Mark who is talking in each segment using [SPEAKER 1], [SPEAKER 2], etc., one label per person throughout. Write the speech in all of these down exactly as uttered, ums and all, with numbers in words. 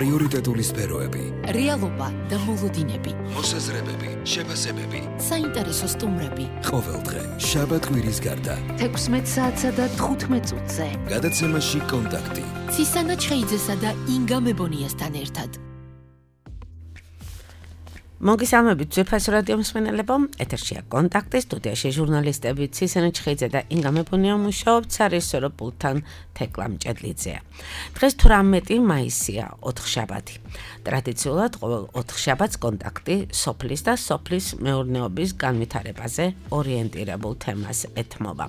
[SPEAKER 1] პრიორიტეტული სფეროები,
[SPEAKER 2] რეალობა და მოლოდინები,
[SPEAKER 1] მოსაზრებები, შეფასებები,
[SPEAKER 2] საინტერესო სტუმრები.
[SPEAKER 1] ყოველდღე შაბათ-კვირის გარდა
[SPEAKER 2] თექვსმეტ საათსა და თხუთმეტ წუთზე.
[SPEAKER 1] გადაცემაში კონტაქტი.
[SPEAKER 2] ცისანა ჩხეიძესა და ინგა მებონიასთან ერთად.
[SPEAKER 3] მოგესალმებით ძვირფას რადიო მსმენელებო, ეთერშია კონტაქტი, სტუდიაში ჟურნალისტები ცისანა ჩხეიძე და ინგა მებონია მუშაობთ სარეჟისორო პულტთან თეკლა მჭედლიძეა. დღეს თვრამეტი მაისია, ოთხშაბათი. ტრადიციულად ყოველ ოთხშაბათს კონტაქტი სოფლის და სოფლის მეურნეობის განვითარებაზე ორიენტირებულ თემას ეთმობა.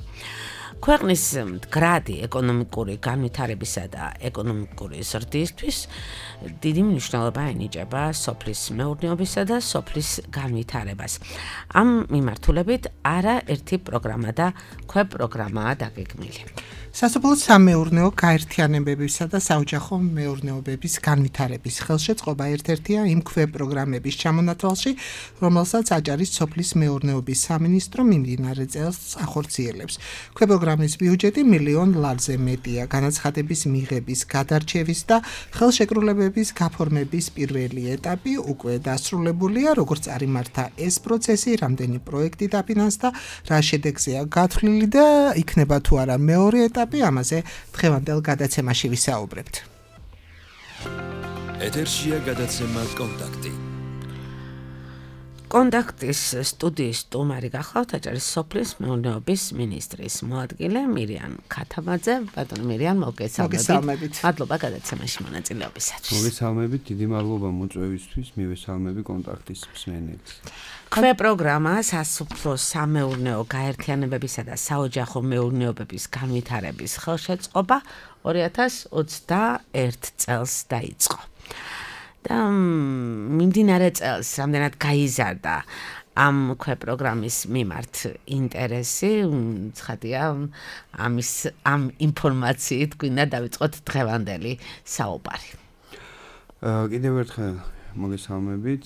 [SPEAKER 3] ქვეყნის მდგრადი ეკონომიკური განვითარებისა და ეკონომიკური ზრდისთვის დიდი მნიშვნელობა ენიჭება სოფლის მეურნეობისა და სოფლის განვითარებას. ამ მიმართულებით არაერთი პროგრამა და ქვეპროგრამაა დაგეგმილი.
[SPEAKER 4] სასოფლო სამეურნეო გაერთიანებებისა და საოჯახო მეურნეობების განვითარების ხელშეწყობა ერთ-ერთია იმ ქვეპროგრამების ჩამონათვალში, რომელსაც აჭარის სოფლის მეურნეობის სამინისტრო მიმდინარე წელს ახორციელებს. ქვეპროგრამის ბიუჯეტი მილიონ ლარზე მეტია. განაცხადების მიღების, გადარჩევის და ხელშეკრულებების გაფორმების პირველი ეტაპი უკვე დასრულებულია, როგორც წარიმართა ეს პროცესი, რამდენი პროექტი დაფინანსდა, რა შედეგზეა გათვლილი და იქნება თუ არა მეორე ეტაპი. ამაზე დღევანდელ გადაცემაში ვისაუბრებთ.
[SPEAKER 1] ეთერშია გადაცემა კონტაქტი.
[SPEAKER 3] კონტაქტის სტუდიის სტუმარი გახლავთ აჭარის სოფლის მეურნეობის მინისტრის მოადგილე მირიან ქათამაძე. ბატონო მირიან, მოგესალმებით. მადლობა გადაცემაში მონაწილეობისათვის.
[SPEAKER 5] მოგესალმებით, დიდი მადლობა მოწვევისთვის, მივესალმები კონტაქტის მსმენელს.
[SPEAKER 3] ქვეპროგრამა სასოფლო სამეურნეო გაერთიანებებისა და საოჯახო მეურნეობების განვითარების ხელშეწყობა ორი ათას ოცდაერთ წელს დაიწყო. და მიმდინარე წელს რამდენად გაიზარდა ამ ქვეპროგრამის მიმართ ინტერესი, ცხადია, ამის ამ ინფორმაციით გვინდა დავიწყოთ დღევანდელი საუბარი.
[SPEAKER 5] კიდევ ერთხელ მოგესალმებით.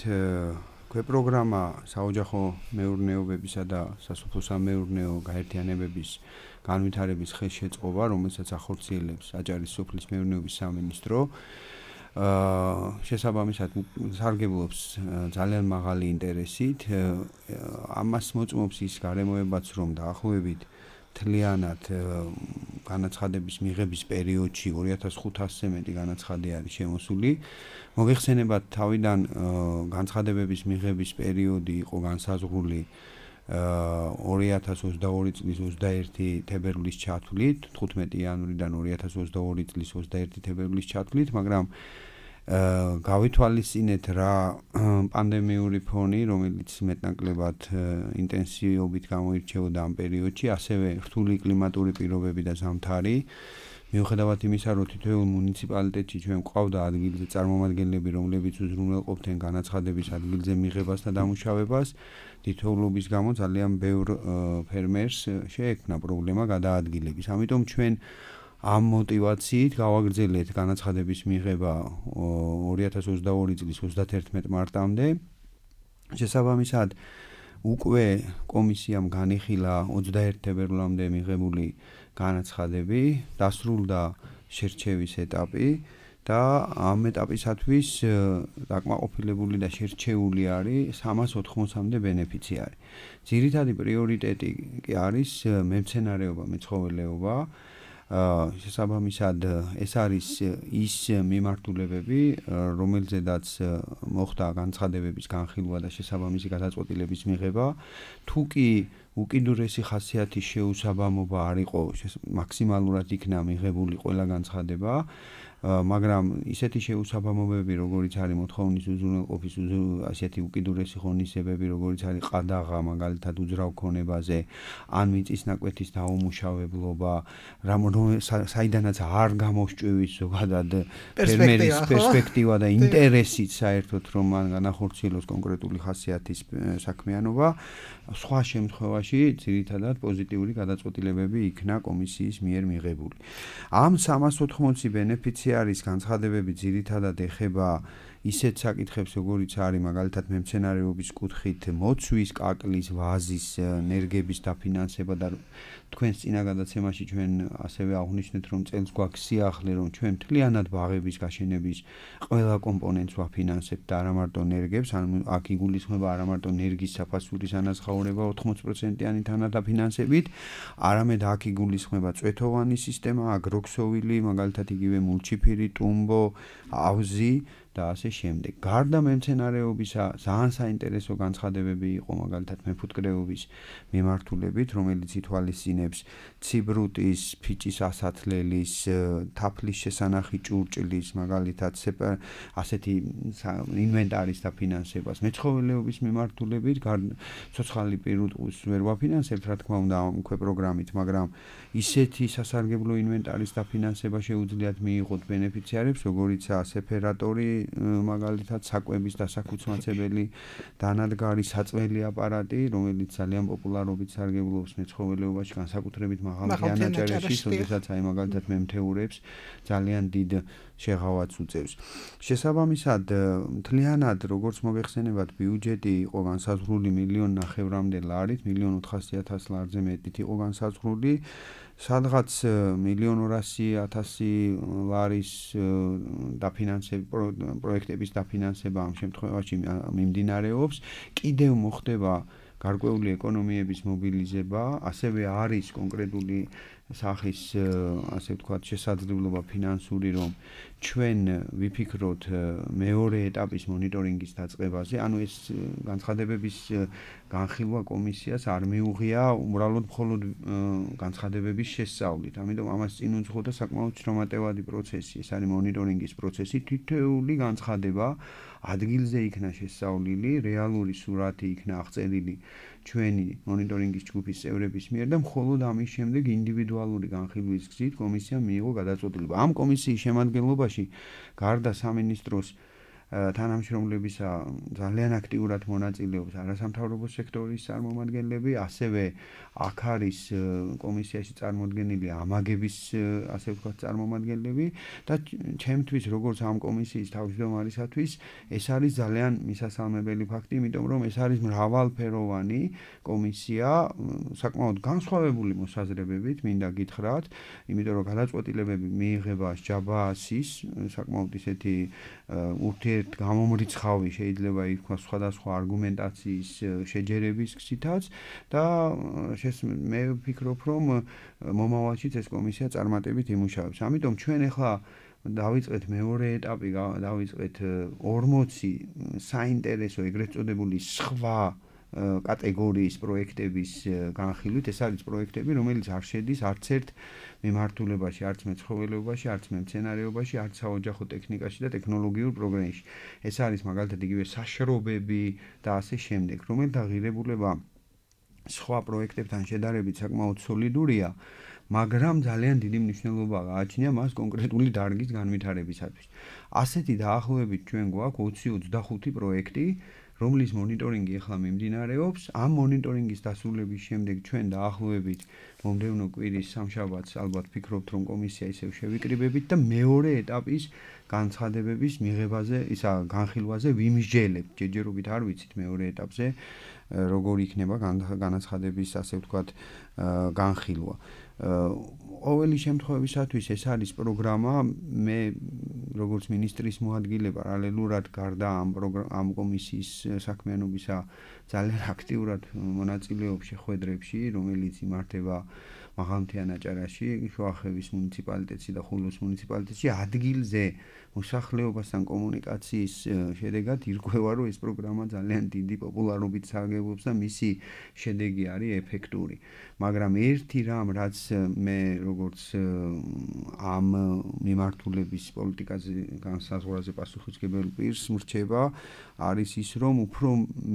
[SPEAKER 5] ქვეპროგრამა საოჯახო მეურნეობებისა და სასოფლო სამეურნეო გაერთიანებების განვითარების ხელშეწყობა, რომელსაც ახორციელებს აჭარის სოფლის მეურნეობის სამინისტრო, შესაბამისად სარგებლობს ძალიან მაღალი ინტერესით. ამას მოწმობს ის გარემოებაც, რომ დაახლოებით მთლიანად განაცხადების მიღების პერიოდში ორი ათას ხუთასზე მეტი განაცხადი არის შემოსული. მოგეხსენებათ, თავიდან განცხადებების მიღების პერიოდი იყო განსაზღვრული ორი ათას ოცდაორი წლის ოცდაერთი თებერვლის ჩათვლით, თხუთმეტი იანვრიდან ორი ათას ოცდაორი წლის ოცდაერთი თებერვლის ჩათვლით, მაგრამ გავითვალისწინეთ რა პანდემიური ფონი, რომელიც მეტნაკლებად ინტენსივობით გამოირჩეოდა ამ პერიოდში, ასევე რთული კლიმატური პირობები და ზამთარი. მიუხედავად იმისა, რომ თითოეულ მუნიციპალიტეტში ჩვენ გვყავდა ადგილზე წარმომადგენლები, რომლებიც უზრუნველყოფდნენ განაცხადების ადგილზე მიღებას და დამუშავებას, თითოეულობის გამო ძალიან ბევრ ფერმერს შეექმნა პრობლემა გადაადგილების. ამიტომ ჩვენ ამ მოტივაციით გავაგრძელეთ განაცხადების მიღება ორი ათას ოცდაორი წლის ოცდათერთმეტ მარტამდე. შესაბამისად, უკვე კომისიამ განიხილა ოცდაერთი თებერვლამდე მიღებული განაცხადები, დასრულდა შერჩევის ეტაპი და ამ ეტაპისათვის დაკმაყოფილებული და შერჩეული არის სამას ოთხმოცამდე ბენეფიციარი. ძირითადი პრიორიტეტი კი არის მემცენარეობა, მეცხოველეობა. შესაბამისად, ეს არის ის მიმართულებები, რომელზედაც მოხდა განცხადებების განხილვა და შესაბამისი გადაწყვეტილების მიღება. თუ კი უკიდურესი ხასიათის შეუსაბამობა არ იყო, მაქსიმალურად იქნა მიღებული ყველა განცხადება, მაგრამ ისეთი შეუსაბამობები, როგორიც არის მოთხოვნის უზრუნველყოფის ასეთი უკიდურესი ღონისძიებები, როგორიც არის ყადაღა, მაგალითად უძრავ ქონებაზე, ან მიწის ნაკვეთის დაუმუშავებლობა, საიდანაც არ გამოსჭვივის ზოგადად ფერმერის პერსპექტივა და ინტერესით საერთოდ, რომ მან განახორციელოს კონკრეტული ხასიათის საქმიანობა, სხვა შემთხვევაში ძირითადად პოზიტიური გადაწყვეტილებები იქნა კომისიის მიერ მიღებული. ამ სამას ოთხმოცი ბენეფიციარის განცხადებები ძირითადად ეხება ისეთ საკითხებს, როგორიც არის მაგალითად მემცენარეობის კუთხით მოცვის, კაკლის, ვაზის, ნერგების დაფინანსება და თქვენს წინა გადაცემაში ჩვენ ასევე აღვნიშნეთ, რომ წელს გვაქვს სიახლე, რომ ჩვენ მთლიანად ბაღების გაშენების ყველა კომპონენტს ვაფინანსებთ და არა მარტო ნერგებს, ანუ აქ იგულისხმება არა მარტო ნერგის საფასურის ანაზღაურება ოთხმოცი პროცენტიანი თანადაფინანსებით, არამედ აქ იგულისხმება წვეთოვანი სისტემა, აგროქსოვილი, მაგალითად იგივე მულჩიფირი, ტუმბო, ავზი და ასე შემდეგ. გარდა მემცენარეობისა, ძალიან საინტერესო განცხადებები იყო მაგალითად მეფუტკრეობის მიმართულებით, რომელიც ითვალისწინებს ციბრუტის, ფიჭის ასათლელის, თაფლის შესანახი ჭურჭლის, მაგალითად ასეთი ინვენტარის დაფინანსებას. მეცხოველეობის მიმართულებით, ცოცხალი პირუტყვის ვერ ვაფინანსებთ, რა თქმა უნდა, ამ უკვე პროგრამით, მაგრამ ისეთი სასარგებლო ინვენტარის დაფინანსება შეუძლიათ მიიღოთ ბენეფიციარებს, როგორიცაა სეფერატორი, მაგალითად საკვების დასაქუცმაცებელი დანადგარი საწველი აპარატი, რომელიც ძალიან პოპულარობით სარგებლობს მეცხოველეობაში, განსაკუთრებით მაღალ ანაჭარებში, შესაძაც აი მაგალითად მემთეურებს ძალიან დიდ შეღავათს უწევს. შესაბამისად, მთლიანად როგორც მოგეხსენებათ, ბიუჯეტი იყო განსაზღვრული მილიონ ნახევრამდე ლარით, მილიონ ოთხასი ათას ლარზე მეტით იყო განსაზღვრული. სადღაც მილიონ ორასი ათასი ლარის დაფინანსება პროექტების დაფინანსება ამ შემთხვევაში მიმდინარეობს. კიდევ მოხდება გარკვეული ეკონომიების მობილიზება, ასევე არის კონკრეტული სახის, ასე ვთქვათ, შესაძლებლობა ფინანსური, რომ ჩვენ ვიფიქროთ მეორე ეტაპის მონიტორინგის დაწყებაზე, ანუ ეს განცხადებების განხილვა კომისიას არ მიუღია უბრალოდ მხოლოდ განცხადებების შესწავლით. ამიტომ ამას წინ უძღოდა საკმაოდ შრომატევადი პროცესი, ეს არის მონიტორინგის პროცესი, თითოეული განცხადება ადგილზე იქნა შესწავლილი, რეალური სურათი იქნა აღწერილი ჩვენი მონიტორინგის ჯგუფის წევრების მიერ და მხოლოდ ამის შემდეგ ინდივიდუალური განხილვის გზით კომისიამ მიიღო გადაწყვეტილება. ამ კომისიის შემადგენლობაში გარდა სამინისტროს თანამშრომლებისა ძალიან აქტიურად მონაწილეობს არასამთავრობო სექტორის წარმომადგენლები, ასევე აქ არის კომისიაში წარმოდგენილი ამაგების, ასე ვთქვათ, წარმომადგენლები და ჩემთვის, როგორც ამ კომისიის თავმჯდომარისათვის, ეს არის ძალიან მისასალმებელი ფაქტი, იმიტომ რომ ეს არის მრავალფეროვანი კომისია, საკმაოდ განსხვავებული მოსაზრებებით, მინდა გითხრათ, იმიტომ რომ გადაწყვეტილებები მიიღება ჯაბაასის, საკმაოდ ისეთი ურთიერთ გამომრიცხავი შეიძლება ითქვას სხვადასხვა არგუმენტაციის შეჯერების გზითაც და მე ვფიქრობ, რომ მომავალშიც ეს კომისია წარმატებით იმუშავებს. ამიტომ ჩვენ ახლა დავიწყეთ მეორე ეტაპი, დავიწყეთ ორმოცი საინტერესო, ეგრეთ წოდებული სხვა კატეგორიის პროექტების განხილვით. ეს არის პროექტები, რომელიც არ შედის არც ერთ მიმართულებაში, არც მეცხოველეობაში, არც მემცენარეობაში, არც საოჯახო ტექნიკაში და ტექნოლოგიურ პროგრამში. ეს არის მაგალითად იგივე საშრობები და ასე შემდეგ, რომელთა ღირებულება სხვა პროექტებთან შედარებით საკმაოდ სოლიდურია, მაგრამ ძალიან დიდი მნიშვნელობა გააჩნია მას კონკრეტული დარგის განვითარებისათვის. ასეთი დაახლოებით ჩვენ გვაქვს ოცი ოცდახუთი პროექტი, რომლის მონიტორინგი ახლა მიმდინარეობს. ამ მონიტორინგის დასრულების შემდეგ ჩვენ დაახლოებით მომდევნო კვირის სამშაბათს ალბათ ფიქრობთ, რომ კომისია ისევ შევიკრიბებით და მეორე ეტაპის განცხადებების მიღებაზე, ისა განხილვაზე ვიმსჯელებთ. ჯერჯერობით არ ვიცით მეორე ეტაპზე როგორ იქნება განაცხადების, ასე ვთქვათ, განხილვა. ყოველი შემთხვევისათვის ეს არის პროგრამა, მე როგორც მინისტრის მოადგილე პარალელურად გარდა ამ ამ კომისიის საქმიანობისა ძალიან აქტიურად მონაწილეობ შეხვედრებში, რომელიც იმართება მაღალმთიანაჭარაში, შუახევის მუნიციპალიტეტში და ხულოს მუნიციპალიტეტში. ადგილზე მოსახლეობასთან კომუნიკაციის შედეგად ირკვევა, რომ ეს პროგრამა ძალიან დიდი პოპულარობით სარგებლობს და მისი შედეგი არის ეფექტური. მაგრამ ერთი რამ, რაც მე როგორც ამ მიმართულების პოლიტიკაზე განსაზღვრაზე პასუხისმგებელ პირს მრჩება, არის ის, რომ უფრო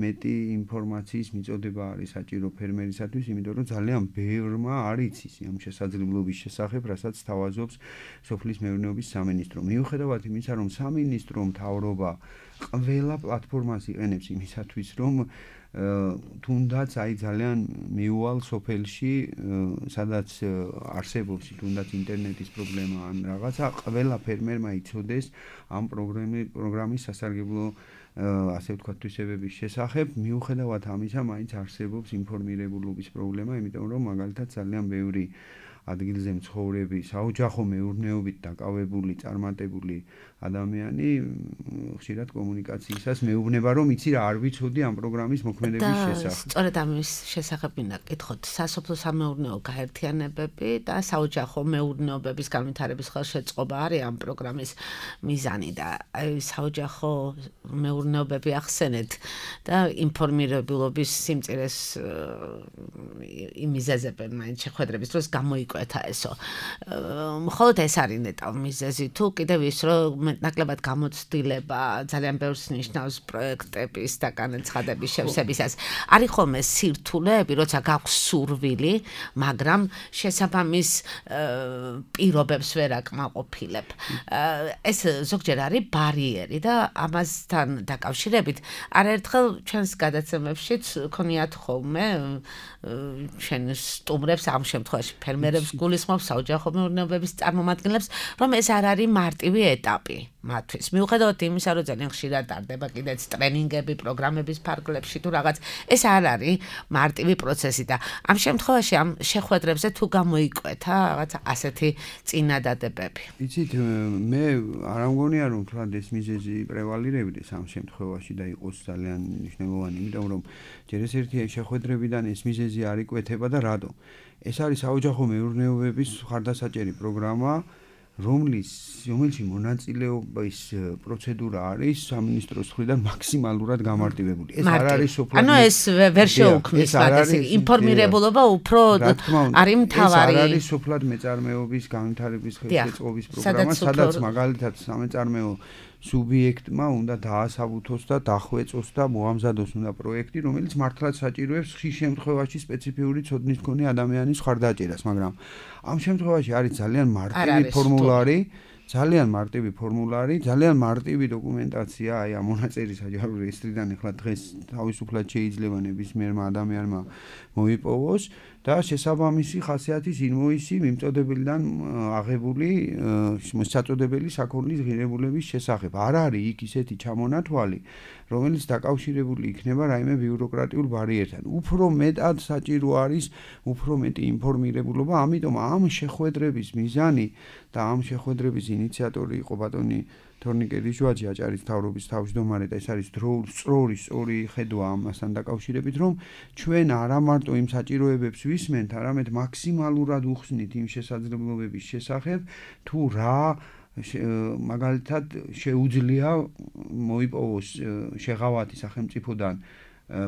[SPEAKER 5] მეტი ინფორმაციის მიწოდება არის საჭირო ფერმერისათვის, იმიტომ რომ ძალიან ბევრმა არ იცის ამ შესაძლებლობის შესახებ, რასაც თავაზობს სოფლის მეურნეობის სამინისტრო. მიუხედავად იმისა, რომ სამინისტრო მთავრობა ყველა პლატფორმას იყენებს იმისათვის, რომ თუნდაც აი ძალიან მიუვალ სოფელში, სადაც არსებობს თუნდაც ინტერნეტის პრობლემა ან რაღაცა, ყველა ფერმერმა იცოდეს ამ პროგრამის სასარგებლო ასე ვთქვათ თვისებების შესახებ, მიუხედავად ამისა, მაინც არსებობს ინფორმირებულობის პრობლემა, იმიტომ რომ მაგალითად ძალიან ბევრი ადგილზე მცხოვრები, საოჯახო მეურნეობით დაკავებული, წარმატებული ადამიანი ხშირად კომუნიკაციისას მეუბნება, რომ იცი რა არ ვიცოდი ამ პროგრამის მოქმედების შესახებ.
[SPEAKER 3] სწორედ ამის შესახებ მინდა გითხოთ, სასოფლო სამეურნეო გაერთიანებები და საოჯახო მეურნეობების განვითარების ხელშეწყობა არის ამ პროგრამის მიზანი და აი საოჯახო მეურნეობები ახსენეთ და ინფორმირებულობის სიმწირეს იმიზეზებენ მაინც შეხვედრების დროს გამოიკვეთა ესო. მხოლოდ ეს არის ნეტავ მიზეზი თუ კიდევ ის რომ ნაკლებად გამოცდილება ძალიან ბევრს ნიშნავს პროექტების და განაცხადების შევსებისას. არის ხოლმე სირთულეები, როცა გაქვს სურვილი, მაგრამ შესაბამის პირობებს ვერ აკმაყოფილებ. ეს ზოგჯერ არის ბარიერი და ამასთან დაკავშირებით არაერთხელ ჩვენს გადაცემებშიც ქონიათ ხოლმე ჩვენ სტუმრებს ამ შემთხვევაში ფერმერებს გულისხმობს საოჯახო მეურნეობების წარმომადგენლებს, რომ ეს არ არის მარტივი ეტაპი მათთვის. მიუხედავად იმისა, რომ ძალიან ხშირად ტარდება კიდეც ტრენინგები, პროგრამების ფარგლებში თუ რაღაც, ეს არ არის მარტივი პროცესი და ამ შემთხვევაში ამ შეხვედრებზე თუ გამოიკვეთა რაღაც ასეთი წინადადებები.
[SPEAKER 5] იცით, მე არ ამგონია რომ თქვა ეს მიზეზი პრევალირებდეს ამ შემთხვევაში და იყოს ძალიან მნიშვნელოვანი, იმიტომ რომ ჯერ ეს ერთი შეხვედრებიდან ეს მიზეზი არ იკვეთება და რატო? ეს არის საოჯახო მეურნეობების ხარდასაჭერი პროგრამა, რომლის რომელში მონაწილეობის პროცედურა არის სამინისტროს მხრიდან მაქსიმალურად გამარტივებული. ეს არ არის სოფლად.
[SPEAKER 3] ანუ ეს ვერ შეუქმნის მაგას ინფორმირებულობა უფრო არის მთავარი.
[SPEAKER 5] ეს არ არის სოფლად მეწარმეობის განვითარების ხელშეწყობის პროგრამა, სადაც მაგალითად სამეწარმეო სუბიექტმა უნდა დაასაბუთოს და დახვეწოს და მოამზადოს უნდა პროექტი, რომელიც მართლაც საჭიროებს ხშირ შემთხვევაში სპეციფიური ცოდნის მქონე ადამიანის ხარდაჭერას, მაგრამ ამ შემთხვევაში არის ძალიან მარტივი ფორმულარი, ძალიან მარტივი ფორმულარი, ძალიან მარტივი დოკუმენტაცია, აი ამ მონაწერის აჯანყების რეესტრიდან ახლა დღეს თავისუფლად შეიძლება ნებისმიერმა ადამიანმა მოიპოვოს და შესაბამისი ხასიათის ინვოისი მიმწოდებელიდან აღებული საწოდებელი საქონლის ღირებულების შესახებ. არ არის იქ ისეთი ჩამონათვალი, რომელიც დაკავშირებული იქნება რაიმე ბიუროკრატიულ ბარიერთან. უფრო მეტად საჭირო არის უფრო მეტი ინფორმირებულობა, ამიტომ ამ შეხვედრების მიზანი და ამ შეხვედრების ინიციატორი იყო ბატონი თორნიკე რიჟვაძე, აჭარის მთავრობის თავმჯდომარე და ეს არის სწორი სწორი ხედვა ამასთან დაკავშირებით, რომ ჩვენ არა მარტო იმ საჭიროებებს ვისმენთ, არამედ მაქსიმალურად უხსნით იმ შესაძლებლობების შესახებ, თუ რა მაგალითად შეუძლია მოიპოვოს შეღავათი სახელმწიფოდან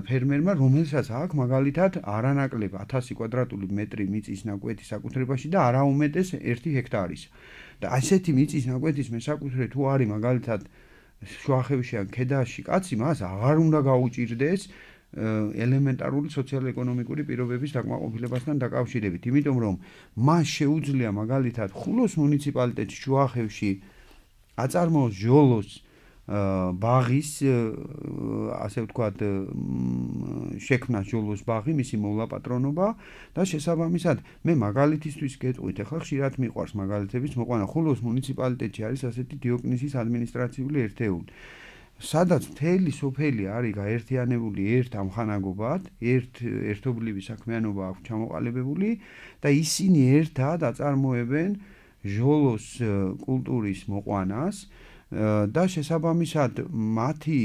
[SPEAKER 5] ფერმერმა, რომელსაც აქვს მაგალითად არანაკლებ ათასი კვადრატული მეტრი მიწის ნაკვეთი საკუთრებაში და არა უმეტეს ერთი ჰექტარის. და ასეთი მიწის ნაკვეთის მესაკუთრე თუ არის მაგალითად შუახევში ან ქედაში კაცი, მას აღარ უნდა გაუჭირდეს ელემენტარული სოციალურ-ეკონომიკური პირობების დაკმაყოფილებასთან დაკავშირებით, იმიტომ რომ მას შეუძლია მაგალითად ხულოს მუნიციპალიტეტში შუახევში აწარმოოს ჟოლოს ბაღის ასე ვთქვათ შექმნა ჟოლოს ბაღი, მისი მოვლაპატრონობა და შესაბამისად მე მაგალითისთვის გეტყვით, ახლა ხშირად მიყვარს მაგალითების მოყვანა. ხულოს მუნიციპალიტეტში არის ასეთი დიოკნისის ადმინისტრაციული ერთეული, სადაც მთელი სოფელი არის გაერთიანებული ერთ ამხანაგობად, ერთ ერთობლივი საქმიანობა აქვს ჩამოყალიბებული და ისინი ერთად აწარმოებენ ჟოლოს კულტურის მოყვანას და შესაბამისად მათი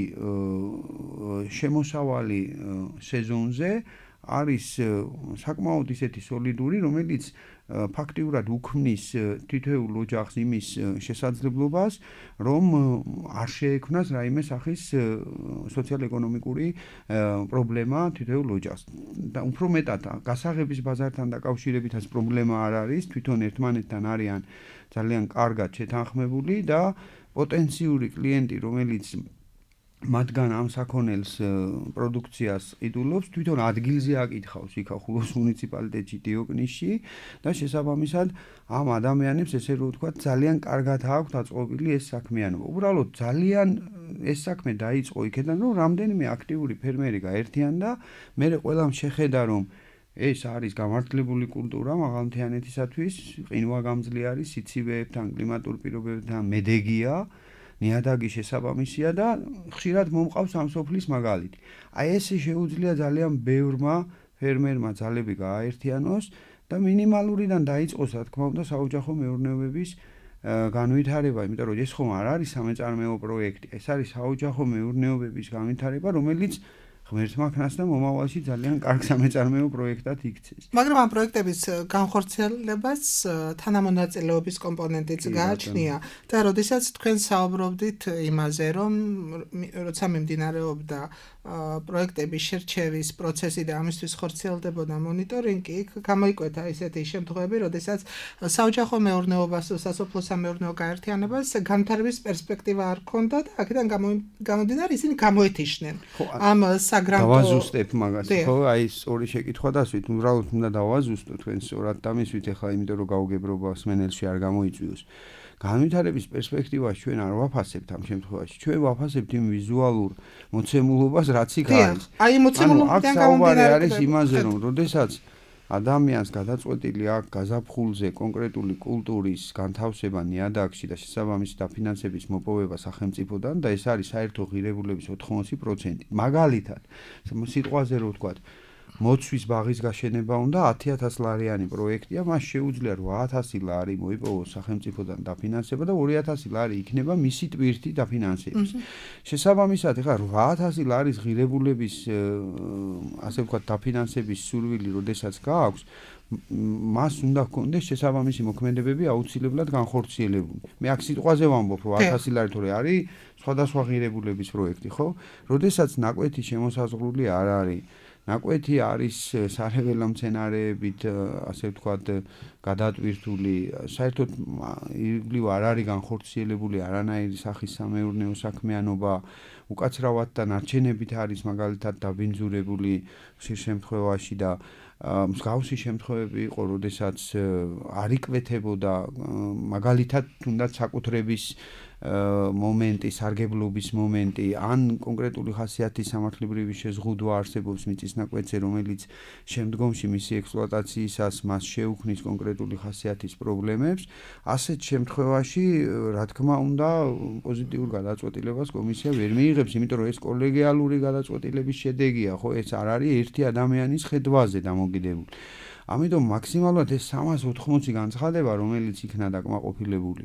[SPEAKER 5] შემოსავალი სეზონზე არის საკმაოდ ისეთი სოლიდური, რომელიც ფაქტიურად უქმნის თითოეულ ოჯახს იმის შესაძლებლობას, რომ არ შეექმნას რაიმე სახის სოციალ-ეკონომიკური პრობლემა თითოეულ ოჯახს. და უფრო მეტად გასაღების ბაზართან დაკავშირებითაც პრობლემა არ არის, თვითონ ერთმანეთთან არიან ძალიან კარგად შეთანხმებული და პოტენციური კლიენტი, რომელიც მათგან ამ საქონელს პროდუქციას ყიდულობს, თვითონ ადგილზე აკითხავს იქ ახულოს მუნიციპალიტეტში დიოკნისში და შესაბამისად ამ ადამიანებს ესე რომ ვთქვათ ძალიან კარგად აქვთ აწყობილი ეს საქმიანობა. უბრალოდ ძალიან ეს საქმე დაიწყო იქიდან რომ რამდენიმე აქტიური ფერმერი გაერთიანდა, მერე ყველამ შეხედა რომ ეს არის გამართლებული კულტურა მაღალმთიანეთისათვის, ყინვა გამძლე არის სიცივეებთან, კლიმატურ პირობებთან, მედეგია, ნიადაგი შესაბამისია და ხშირად მომყავს ამ სოფლის მაგალითი. აი ეს შეუძლია ძალიან ბევრმა ფერმერმა ძალები გააერთიანოს და მინიმალურიდან დაიწყოს, რა თქმა უნდა, საოჯახო მეურნეობების განვითარება, იმიტომ რომ ეს ხომ არ არის სამეწარმეო პროექტი, ეს არის საოჯახო მეურნეობების განვითარება, რომელიც ღმერთმა ქნას და მომავალში ძალიან კარგ სამეწარმეო პროექტად იქცეს.
[SPEAKER 4] მაგრამ ამ პროექტების განხორციელებას თანამონაწილეობის კომპონენტიც გააჩნია და როდესაც თქვენ საუბრობდით იმაზე, რომ როცა მიმდინარეობდა პროექტების შერჩევის პროცესი და ამისთვის ხორციელდებოდა მონიტორინგი, იქ გამოიკვეთა ისეთი შემთხვევები, როდესაც საოჯახო მეურნეობას, სასოფლო სამეურნეო გაერთიანებას განვითარების პერსპექტივა არ ჰქონდა და აქედან გამომდინარე ისინი გამოეთიშნენ. ამ საგრანტო
[SPEAKER 5] დავაზუსტებ მაგას, ხო, აი ეს ორი შეკითხვა დასვით, უბრალოდ უნდა დავაზუსტო თქვენ სწორად დამისვით ახლა, იმიტომ რომ გაუგებრობა სმენელში არ გამოიწვიოს. განვითარების პერსპექტივას ჩვენ არ ვაფასებთ ამ შემთხვევაში. ჩვენ ვაფასებთ იმ ვიზუალურ მოცემულობას, რაც იქ არის.
[SPEAKER 4] აი მოცემულობიდან
[SPEAKER 5] გამომდინარე არის იმაზე, რომ როდესაც ადამიანს გადაწყვეტილი აქვს გაზაფხულზე კონკრეტული კულტურის განთავსება ნიადაგში და შესაბამისი დაფინანსების მოპოვება სახელმწიფოდან და ეს არის საერთო ღირებულების ოთხმოცი პროცენტი. მაგალითად, სიტყვაზე რო ვთქვათ, მოცვის ბაღის გაშენება უნდა ათი ათას ლარიანი პროექტია, მას შეუძლია რვა ათასი ლარი მოიპოვოს სახელმწიფოდან დაფინანსება და ორი ათასი ლარი იქნება მისი ტვირთი დაფინანსების. შესაბამისად, ეხლა რვა ათასი ლარის ღირებულების ასე ვთქვათ დაფინანსების სურვილი, როდესაც გააქვს, მას უნდა ჰქონდეს შესაბამისი მოქმედებები აუცილებლად განხორციელებული. მე აქ სიტყვაზე ვამბობ, რომ ათასი ლარი თორე არის სხვადასხვა ღირებულების პროექტი, ხო? როდესაც ნაკვეთი შემოსაზღვრული არ არის, ნაკვეთი არის სარეველა მცენარეებით, ასე ვთქვათ, გადატვირთული, საერთოდ ირგვლივ არ არის განხორციელებული არანაირი სახის სამეურნეო საქმიანობა, უკაცრავად და ნარჩენებით არის მაგალითად დაბინძურებული ხშირ შემთხვევაში და მსგავსი შემთხვევები იყო, როდესაც არ იკვეთებოდა მაგალითად თუნდაც საკუთრების მომენტი, სარგებლობის მომენტი, ან კონკრეტული ხასიათის სამართლებრივი შეზღუდვა არსებობს მიწის ნაკვეთზე, რომელიც შემდგომში მისი ექსპლუატაციისას მას შეუქმნის კონკრეტული ხასიათის პრობლემებს, ასეთ შემთხვევაში, რა თქმა უნდა, პოზიტიურ გადაწყვეტილებას კომისია ვერ მიიღებს, იმიტომ რომ ეს კოლეგიალური გადაწყვეტილების შედეგია, ხო, ეს არ არის ერთი ადამიანის ხედვაზე დამოკიდებული. ამიტომ მაქსიმალურად ეს სამას ოთხმოცი განცხადება, რომელიც იქნა დაკმაყოფილებული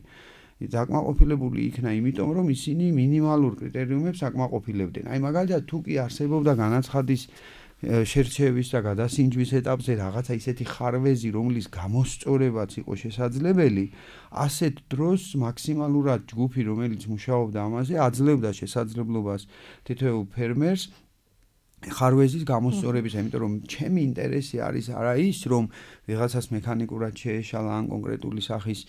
[SPEAKER 5] დაკმაყოფილებული იქნა იმიტომ, რომ ისინი მინიმალურ კრიტერიუმებს აკმაყოფილებდნენ. აი მაგალითად, თუ კი არსებობდა განაცხადის შერჩევის და გადასინჯვის ეტაპზე რაღაცა ისეთი ხარვეზი, რომლის გამოსწორებაც იყო შესაძლებელი, ასეთ დროს მაქსიმალურად ჯგუფი, რომელიც მუშაობდა ამაზე, აძლევდა შესაძლებლობას თითოეულ ფერმერს ხარვეზის გამოსწორებისა, იმიტომ რომ ჩემი ინტერესი არის არა ის, რომ ვიღაცას მექანიკურად შეეშალა ან კონკრეტული სახის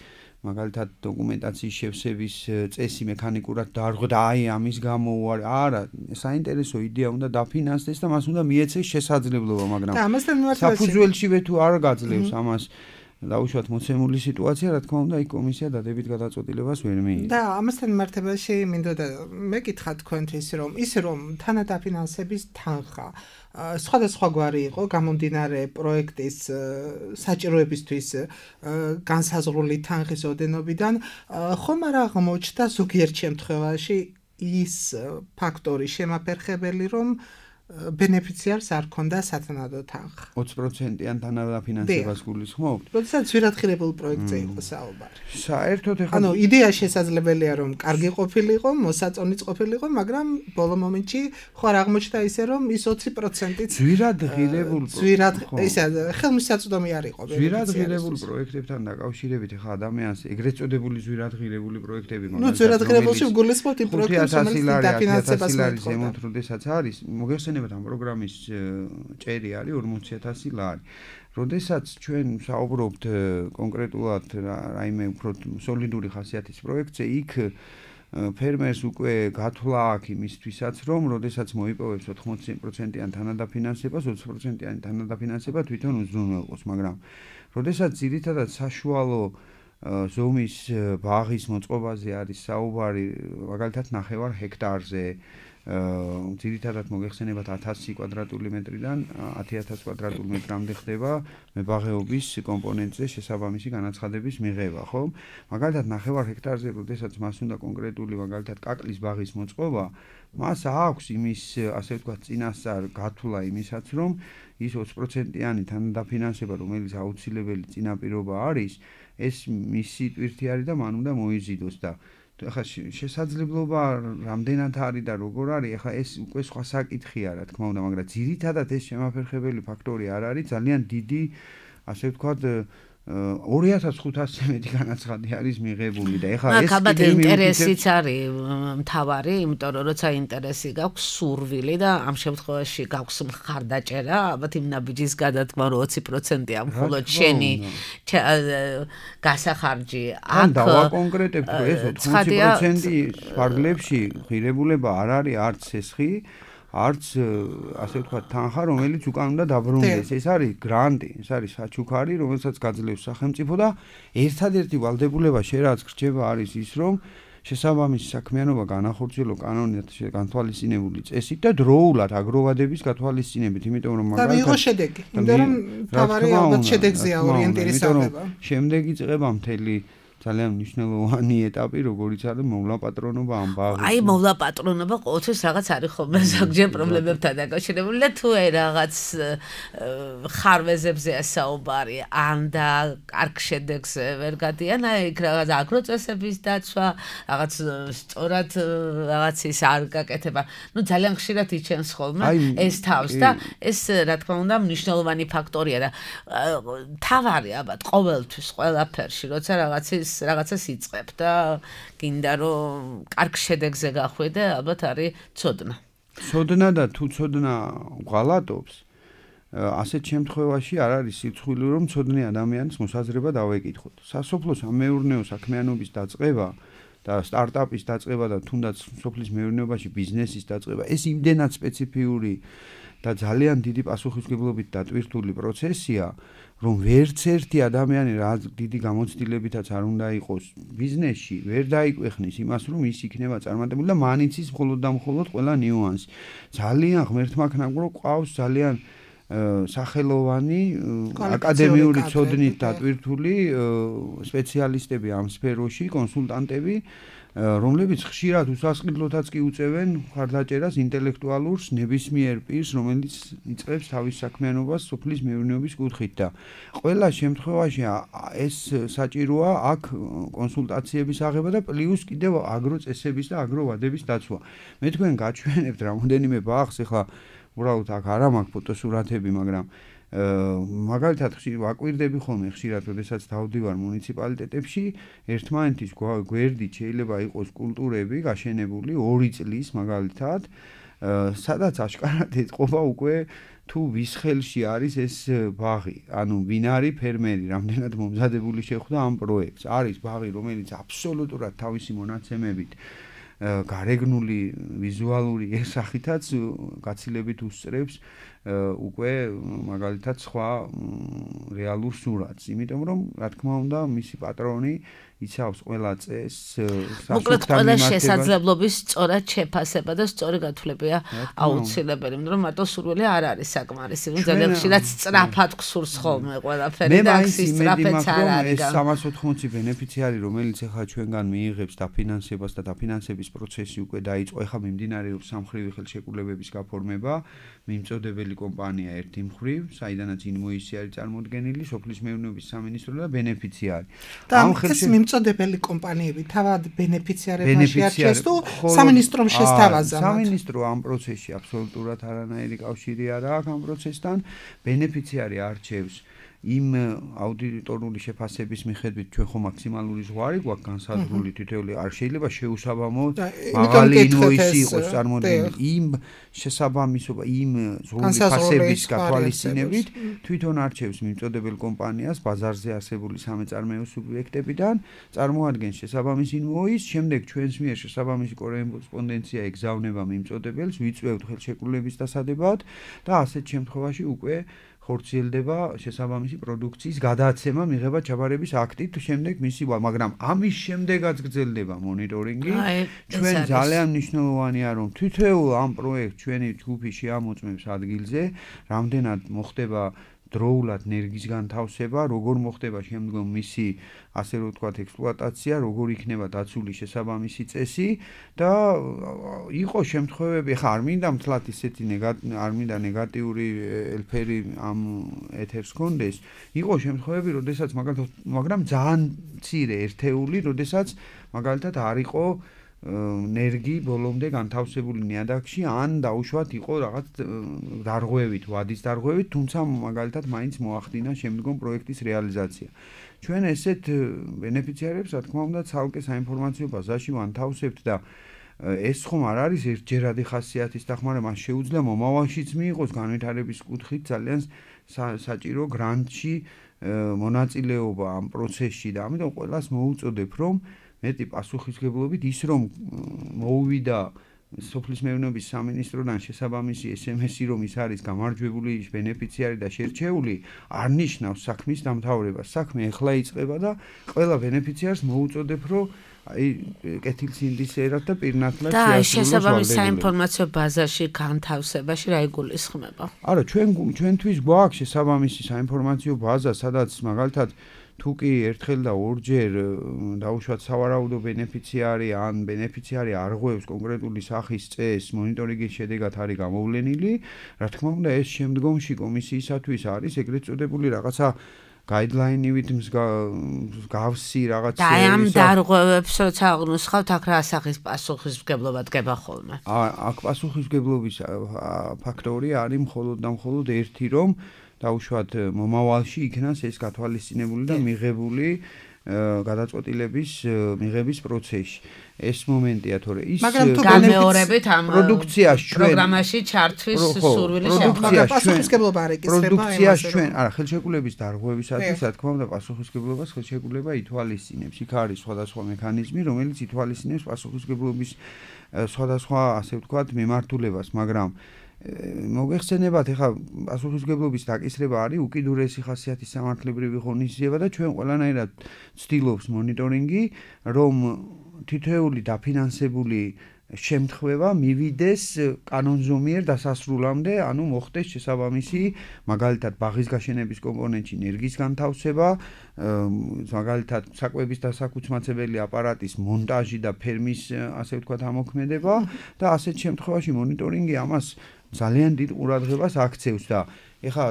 [SPEAKER 5] მაგალითად დოკუმენტაციის შევსების წესი მექანიკურად დაარღვდა და აი ამის გამო არა, საინტერესო იდეა უნდა დაფინანსდეს და მას უნდა მიეცეს შესაძლებლობა, მაგრამ საფუძველშივე თუ არ გაძლევს ამას დაუშვათ მოცემული სიტუაცია, რა თქმა უნდა, იქ კომისია დადებით გადაწყვეტილებას ვერ მიიღებს.
[SPEAKER 4] და ამასთან მიმართებაში მინდოდა მეკითხა თქვენთვის, რომ ის რომ თანადაფინანსების თანხა სხვადასხვაგვარი იყო გამომდინარე პროექტის საჭიროებისთვის განსაზღვრული თანხის ოდენობიდან, ხომ არ აღმოჩნდა ზოგიერთ შემთხვევაში ის ფაქტორი შემაფერხებელი, რომ ბენეფიციარს არ ქონდა სათანადო თანხა.
[SPEAKER 5] ოცი პროცენტიან თანადაფინანსებას გულისხმობთ?
[SPEAKER 4] როდესაც ძვირადღირებულ პროექტზე იყო საუბარი.
[SPEAKER 5] საერთოდ ეხლა
[SPEAKER 4] ანუ იდეა შესაძლებელია რომ კარგი ყოფილიყო, მოსაწონიც ყოფილიყო, მაგრამ ბოლო მომენტში ხო არ აღმოჩნდა ისე რომ ის ოცი პროცენტიც
[SPEAKER 5] ძვირადღირებულ
[SPEAKER 4] ძვირად ისე ხელმისაწვდომი არ იყო.
[SPEAKER 5] ძვირადღირებულ პროექტებთან დაკავშირებით ეხლა ადამიანს ეგრეთ წოდებული ძვირადღირებული პროექტები
[SPEAKER 4] მაგალითად. ნუ ძვირადღირებულში გულისხმობთ იმ პროექტებს, რომელიც დაფინანსებას
[SPEAKER 5] მოითხოვდა. როდესაც არის მოგეხსენებათ ამ პროგრამის ჭერი არის ორმოცი ათასი ლარი. როდესაც ჩვენ საუბრობთ კონკრეტულად რაიმე უფრო სოლიდური ხასიათის პროექტზე, იქ ფერმერს უკვე გათვლა აქვს იმისთვისაც, რომ როდესაც მოიპოვებს ოთხმოცი პროცენტიან თანადაფინანსებას, ოცი პროცენტიანი თანადაფინანსება თვითონ უზრუნველყოს, მაგრამ როდესაც ძირითადად საშუალო ზომის ბაღის მოწყობაზე არის საუბარი, მაგალითად ნახევარ ჰექტარზე, ძირითადად მოგეხსენებათ ათასი კვადრატული მეტრიდან ათი ათასი კვადრატული მეტრამდე ხდება მებაღეობის კომპონენტზე შესაბამისი განაცხადების მიღება, ხო? მაგალითად ნახევარ ჰექტარზე, როდესაც მას უნდა კონკრეტული მაგალითად კაკლის ბაღის მოწყობა, მას აქვს იმის, ასე ვთქვათ, წინასწარ გათვლა იმისაც, რომ ის ოცი პროცენტიანი თანადაფინანსება, რომელიც აუცილებელი წინაპირობა არის, ეს მისი ტვირთი არის და მან უნდა მოიზიდოს და ახლა შესაძლებლობა რამდენად არის და როგორ არის, ახლა ეს უკვე სხვა საკითხია, რა თქმა უნდა, მაგრამ ძირითადად ეს შემაფერხებელი ფაქტორი არ არის, ძალიან დიდი, ასე ვთქვათ, ორი ათას ხუთასზე მეტი განაცხადი არის მიღებული და ეხლა ეს
[SPEAKER 3] კიდევ ინტერესიც არის მთავარი, იმიტომ რომ როცა ინტერესი გაქვს სურვილი და ამ შემთხვევაში გაქვს მხარდაჭერა, ალბათ იმ ნაბიჯის გადადგმა რომ ოცი პროცენტია მხოლოდ შენი გასახარჯი
[SPEAKER 5] აქ დავაკონკრეტებთ, რომ ეს ოცი პროცენტი ფარგლებში ღირებულება არ არის არც სესხი, არც ასე ვთქვათ თანხა, რომელიც უკან უნდა დაბრუნდეს. ეს არის გრანტი, ეს არის საჩუქარი, რომელსაც გაძლევს სახელმწიფო და ერთადერთი ვალდებულება შენ რაც გრჩება არის ის, რომ შესაბამისი საქმიანობა განახორციელო კანონით განთვალისწინებული წესით და დროულად აგროვადების გათვალისწინებით, იმიტომ რომ
[SPEAKER 4] მაგალითად და მიიღო შედეგი, იმიტომ რომ თავარი ალბათ შედეგზეა ორიენტირის აღება.
[SPEAKER 5] შემდეგი წება მთელი ძალიან მნიშვნელოვანი ეტაპი, როგორიც არის მოვლა პატრონობა ამ ბაღის.
[SPEAKER 3] აი, მოვლა პატრონობა ყოველთვის რაღაც არის ხოლმე ზოგჯერ პრობლემებთან დაკავშირებული და თუ აი რაღაც ხარვეზებზეა საუბარი, ან და კარგ შედეგს ვერ გადიან, აი იქ რაღაც აგროწესების დაცვა, რაღაც სწორად რაღაცის არ გაკეთება. ნუ ძალიან ხშირად იჩენს ხოლმე ეს თავს და ეს რა თქმა უნდა მნიშვნელოვანი ფაქტორია და თავარი ალბათ ყოველთვის ყველაფერში, როცა რაღაცის რაღაცას იწყებ და გინდა რომ კარგ შედეგზე გახვიდე, ალბათ არის ცოდნა.
[SPEAKER 5] ცოდნა და თუ ცოდნა ღალატობს, ასეთ შემთხვევაში არ არის სიცხვილი რომ ცოდნე ადამიანის მოსაზრება დავეკითხოთ. სასოფლო სამეურნეო საქმიანობის დაწყება და სტარტაპის დაწყება და თუნდაც სოფლის მეურნეობაში ბიზნესის დაწყება, ეს იმდენად სპეციფიური და ძალიან დიდი პასუხისმგებლობით დატვირთული პროცესია, რომ ვერც ერთი ადამიანი რა დიდი გამოცდილებითაც არ უნდა იყოს ბიზნესში, ვერ დაიკვეხნის იმას, რომ ის იქნება წარმატებული და მან იცის მხოლოდ და მხოლოდ ყველა ნიუანსი. ძალიან ღმერთმაქნაგრო ყავს ძალიან სახელოვანი აკადემიური ცოდნით დატვირთული სპეციალისტები ამ სფეროში, კონსულტანტები, რომლებიც ხშირად უსასყიდლოთაც კი უწევენ მხარდაჭერას ინტელექტუალურს ნებისმიერ პირს, რომელიც იწყებს თავის საქმიანობას სოფლის მეურნეობის კუთხით და ყველა შემთხვევაში ეს საჭიროა აქ კონსულტაციების აღება და პლუს კიდევ აგროწესების და აგროვადების დაცვა. მე თქვენ გაჩვენებთ რამოდენიმე ბაღს, ეხლა უბრალოდ აქ არ მაქვს ფოტოსურათები, მაგრამ მაგალითად ვაკვირდები ხოლმე ხშირად, როდესაც დავდივარ მუნიციპალიტეტებში, ერთმანეთის გვერდით შეიძლება იყოს კულტურები გაშენებული ორი წლის მაგალითად, სადაც აშკარად ეთყობა უკვე თუ ვის ხელში არის ეს ბაღი, ანუ ვინ არის ფერმერი, რამდენად მომზადებული შეხვდა ამ პროექტს. არის ბაღი, რომელიც აბსოლუტურად თავისი მონაცემებით გარეგნული ვიზუალური სახითაც გაცილებით უსწრებს უკვე მაგალითად სხვა რეალურ სურათს, იმიტომ რომ რა თქმა უნდა მისი პატრონი იცავს ყველა წესს,
[SPEAKER 3] მოკლედ ყველა შესაძლებლობის სწორად შეფასება და სწორი გათვლებია აუცილებელი, იმიტომ რომ მარტო სურვილი არ არის საკმარისი, ძალიან ხშირად სწრაფად გსურს ხოლმე ყველაფერი და ის სწრაფეც არ არის.
[SPEAKER 5] ეს სამას ოთხმოცი ბენეფიციარი, რომელიც ახლა ჩვენგან მიიღებს დაფინანსებას და დაფინანსების პროცესი უკვე დაიწყო, ახლა მიმდინარეობს სამხრივი ხელშეკრულებების გაფორმება, მიმწოდებელი კომპანია ერთი მხრივ, საიდანაც ინვოისი არის წარმოდგენილი, სოფლის მეურნეობის სამინისტრო და ბენეფიციარი.
[SPEAKER 4] ამ ხელშეკრულებაში წოდებელი კომპანიები თავად ბენეფიციარებმა შეარჩიეს თუ სამინისტრომ შესთავაზა?
[SPEAKER 5] სამინისტრო ამ პროცესში აბსოლუტურად არანაირი კავშირი არ აქვს ამ პროცესთან. ბენეფიციარი არჩევს იმ აუდიტორული შეფასების მიხედვით ჩვენ ხო მაქსიმალური ზღვარი გვაქვს განსაზღვრული თითოეული არ შეიძლება შეუსაბამო მაღალი ინვოისი იყოს წარმოდგენილი იმ შესაბამისობა იმ ზღვრული ფასების გათვალისწინებით თვითონ არჩევს მიმწოდებელ კომპანიას ბაზარზე არსებული სამეწარმეო სუბიექტებიდან წარმოადგენს შესაბამის ინვოისს შემდეგ ჩვენს მიერ შესაბამისი კორესპონდენცია ეგზავნება მიმწოდებელს ვიწვევთ ხელშეკრულების დასადებად და ასეთ შემთხვევაში უკვე ხორციელდება შესაბამისი პროდუქციის გადაცემა მიღება ჩაბარების აქტით შემდეგ მისი მაგრამ ამის შემდეგაც გრძელდება მონიტორინგი ჩვენ ძალიან მნიშვნელოვანია რომ თითოეულ ამ პროექტს ჩვენი ჯგუფი შეამოწმებს ადგილზე რამდენად მოხდება დროულად ნერგის განთავსება როგორ მოხდება შემდგომ მისი ასე რომ ვთქვათ ექსპლუატაცია როგორ იქნება დაცული შესაბამისი წესი და იყო შემთხვევები ხა არ მინდა მთლად ისეთი არ მინდა ნეგატიური ელფერი ამ ეთერს კონდეს იყო შემთხვევები როდესაც მაგალითად მაგრამ ძალიან მცირე ერთეული როდესაც მაგალითად არ იყო ნერგი ბოლომდე განთავსებული ნიადაგში ან დაუშვათ იყო რაღაც დარღვევით, ვადის დარღვევით, თუმცა მაგალითად მაინც მოახდინა შემდგომ პროექტის რეალიზაცია. ჩვენ ესეთ ბენეფიციარებს, რა თქმა უნდა, ცალკე საინფორმაციო ბაზაში ვანთავსებთ და ეს ხომ არ არის ერთჯერადი ხასიათის დახმარება, მას შეუძლია მომავალშიც მიიღოს განვითარების კუთხით ძალიან საჭირო გრანტში მონაწილეობა ამ პროცესში და ამიტომ ყველას მოუწოდებ, რომ მეტი პასუხისმგებლობით ის რომ მოუვიდა სოფლის მეურნეობის სამინისტროდან შესაბამისი ეს ემ ესი რომ ის არის გამარჯვებული ბენეფიციარი და შერჩეული არ ნიშნავს საქმის დამთავრებას. საქმე ეხლა იწყება და ყველა ბენეფიციარს მოუწოდებ რომ აი კეთილსინდისერად და პირნათლად
[SPEAKER 3] შეასრულოს და შესაბამის საინფორმაციო ბაზაში განთავსებაში რა იგულისხმება?
[SPEAKER 5] არა, ჩვენ ჩვენთვის გვაქვს შესაბამისი საინფორმაციო ბაზა, სადაც მაგალითად თუ კი ერთხელ და ორჯერ დაუშვათ სავარაუდო ბენეფიციარი ან ბენეფიციარი არღვევს კონკრეტული სახის წესს მონიტორინგის შედეგად არის გამოვლენილი, რა თქმა უნდა ეს შემდგომში კომისიისათვის არის ეგრეთ წოდებული რაღაცა გაიდლაინივით მსგავსი რაღაც
[SPEAKER 3] და ამ დარღვევებს როცა აღნუსხავთ აქ რა სახის პასუხისმგებლობა დგება ხოლმე?
[SPEAKER 5] აქ პასუხისმგებლობის ფაქტორი არის მხოლოდ და მხოლოდ ერთი რომ დაუშვათ მომავალში იქნას ეს გათვალისწინებული და მიღებული გადაწყვეტილების მიღების პროცესში. ეს მომენტია თორე ის
[SPEAKER 3] გამეორებით ამ
[SPEAKER 5] პროდუქციას ჩვენ
[SPEAKER 3] პროგრამაში ჩართვის სურვილი
[SPEAKER 4] შეხვდება. პასუხისმგებლობა არ ეკისრება
[SPEAKER 5] პროდუქციას ჩვენ არა ხელშეკრულების დარღვევისათვის რა თქმა უნდა პასუხისმგებლობას ხელშეკრულება ითვალისწინებს. იქ არის სხვადასხვა მექანიზმი რომელიც ითვალისწინებს პასუხისმგებლობის სხვადასხვა ასე ვთქვათ მიმართულებას, მაგრამ მოგეხსენებათ ეხლა პასუხისმგებლობის დაკისრება არის უკიდურესი ხასიათის სამართლებრივი ღონისძიება და ჩვენ ყველანაირად ვცდილობს მონიტორინგი რომ თითოეული დაფინანსებული შემთხვევა მივიდეს კანონზომიერ დასასრულამდე, ანუ მოხდეს შესაბამისი მაგალითად ბაღის გაშენების კომპონენტში ნერგის განთავსება, მაგალითად საკვების დასაკუცმაცებელი აპარატის მონტაჟი და ფერმის ასე ვთქვათ ამოქმედება და ასეთ შემთხვევაში მონიტორინგი ამას ძალიან დიდ ყურადღებას აქცევს და ეხლა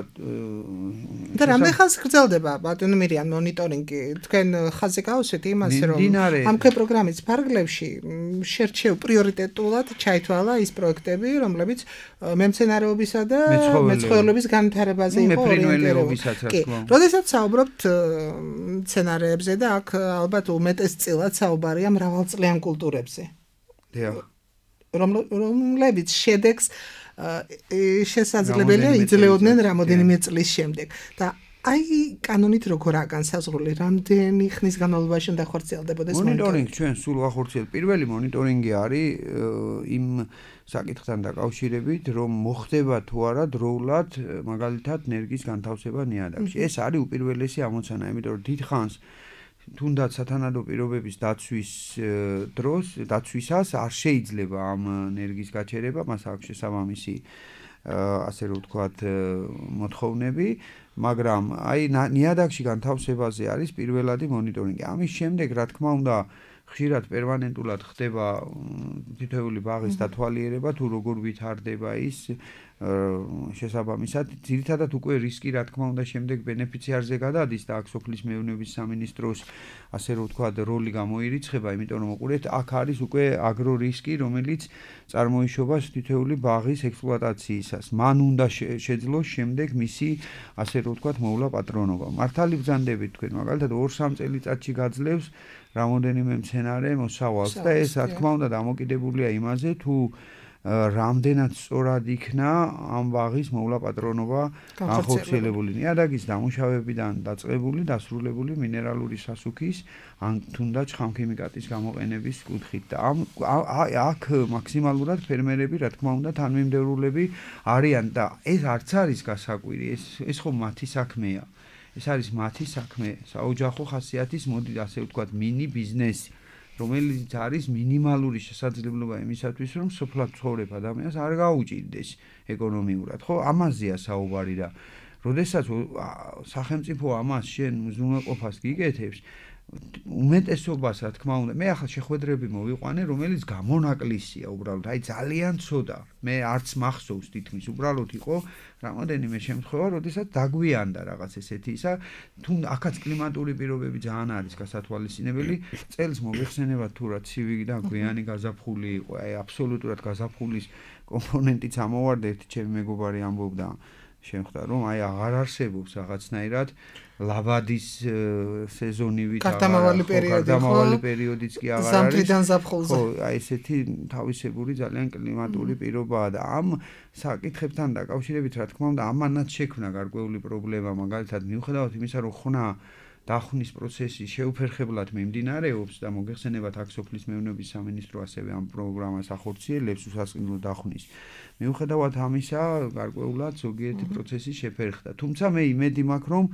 [SPEAKER 4] და რამდენ ხანს გრძელდება ბატონო მირიან მონიტორინგი? თქვენ ხაზზე გავუსვით იმას რომ ამ პროგრამის ფარგლებში შერჩევ პრიორიტეტულად ჩაითვალა ის პროექტები, რომლებიც მემცენარეობისა და მეცხოველეობის განვითარებაზე იყო ორიენტირებული. კი, როდესაც საუბრობთ მცენარეებზე და აქ ალბათ უმეტესწილად საუბარია მრავალწლიან კულტურებზე.
[SPEAKER 5] დიახ.
[SPEAKER 4] რომლებიც შედეგს შესაძლებელია იძლეოდნენ რამოდენიმე წლის შემდეგ და აი კანონით როგორაა განსაზღვრული რამდენი ხნის განმავლობაში უნდა ხორციელდებოდეს
[SPEAKER 5] მონიტორინგი? ჩვენ სულ ვახორციელებთ. პირველი მონიტორინგი არის იმ საკითხთან დაკავშირებით, რომ მოხდება თუ არა დროულად მაგალითად ნერგის განთავსება ნიადაგში. ეს არის უპირველესი ამოცანა, იმიტომ რომ დიდხანს თუნდაც სათანადო პირობების დაცვის დროს, დაცვისას არ შეიძლება ამ ნერგის გაჩერება, მას აქვს შესაბამისი ასე რომ ვთქვათ მოთხოვნები, მაგრამ აი ნიადაგში განთავსებაზე არის პირველადი მონიტორინგი. ამის შემდეგ, რა თქმა უნდა, ხშირად პერმანენტულად ხდება თითოეული ბაღის დათვალიერება თუ როგორ ვითარდება ის შესაბამისად ძირითადად უკვე რისკი რა თქმა უნდა შემდეგ ბენეფიციარზე გადადის და აქ სოფლის მეურნეობის სამინისტროს ასე რომ ვთქვათ როლი გამოირიცხება, იმიტომ რომ უყურეთ აქ არის უკვე აგრო რისკი, რომელიც წარმოიშობა თითოეული ბაღის ექსპლუატაციისას. მან უნდა შეძლოს შემდეგ მისი ასე რომ ვთქვათ მოვლა პატრონობა. მართალი ბრძანდებით თქვენ მაგალითად ორ სამ წელიწადში გაძლევს რამოდენიმე მცენარე მოსავალს და ეს რა თქმა უნდა დამოკიდებულია იმაზე თუ რამდენად სწორად იქნა ამ ბაღის მოვლა პატრონობა განხორციელებული. ნიადაგის დამუშავებიდან დაწყებული, დასრულებული მინერალური სასუქის ან თუნდაც ხამქიმიკატის გამოყენების კუთხით. და ამ აქ მაქსიმალურად ფერმერები რა თქმა უნდა თანმიმდევრულები არიან და ეს არც არის გასაკვირი, ეს ეს ხო მათი საქმეა. ეს არის მათი საქმე, საოჯახო ხასიათის მოდი ასე ვთქვათ მინი ბიზნესი. რომელიც არის მინიმალური შესაძლებლობა იმისათვის, რომ სოფლად ცხოვრებ ადამიანს არ გაუჭირდეს ეკონომიურად. ხო, ამაზეა საუბარი და როდესაც სახელმწიფო ამას შენ უზრუნველყოფას გიკეთებს, უმეტესობას რა თქმა უნდა, მე ახლა შეხვედრები მოვიყვანე, რომელიც გამონაკლისია უბრალოდ, აი ძალიან ცოტა. მე არც მახსოვს თითქმის, უბრალოდ იყო რამოდენიმე შემთხვევა, როდესაც დაგვიანდა რაღაც ესეთი ისა, თუ აქაც კლიმატური პირობები ძალიან არის გასათვალისწინებელი, წელს მოიხსენება თუ რა ცივი და გვიანი გაზაფხული იყო, აი აბსოლუტურად გაზაფხულის კომპონენტიც ამოვარდა, ერთი ჩემი მეგობარი ამბობდა შემხვდა რომ აი აღარ არსებობს რაღაცნაირად ლაბადის სეზონივით
[SPEAKER 4] გარდამავალი პერიოდი
[SPEAKER 5] გარდამავალი პერიოდიც კი აღარ არის
[SPEAKER 4] ზამთრიდან ზაფხულზე.
[SPEAKER 5] ხო, აი ესეთი თავისებური ძალიან კლიმატური პირობაა და ამ საკითხებთან დაკავშირებით რა თქმა უნდა ამანაც შექმნა გარკვეული პრობლემა, მაგალითად მიუხედავად იმისა რომ ხნა დახნის პროცესი შეუფერხებლად მიმდინარეობს და მოგეხსენებათ აქ სოფლის მეურნეობის სამინისტრო ასევე ამ პროგრამას ახორციელებს უსასყიდლო დახნის. მიუხედავად ამისა, გარკვეულად ზოგიერთი პროცესი შეფერხდა. თუმცა მე იმედი მაქვს, რომ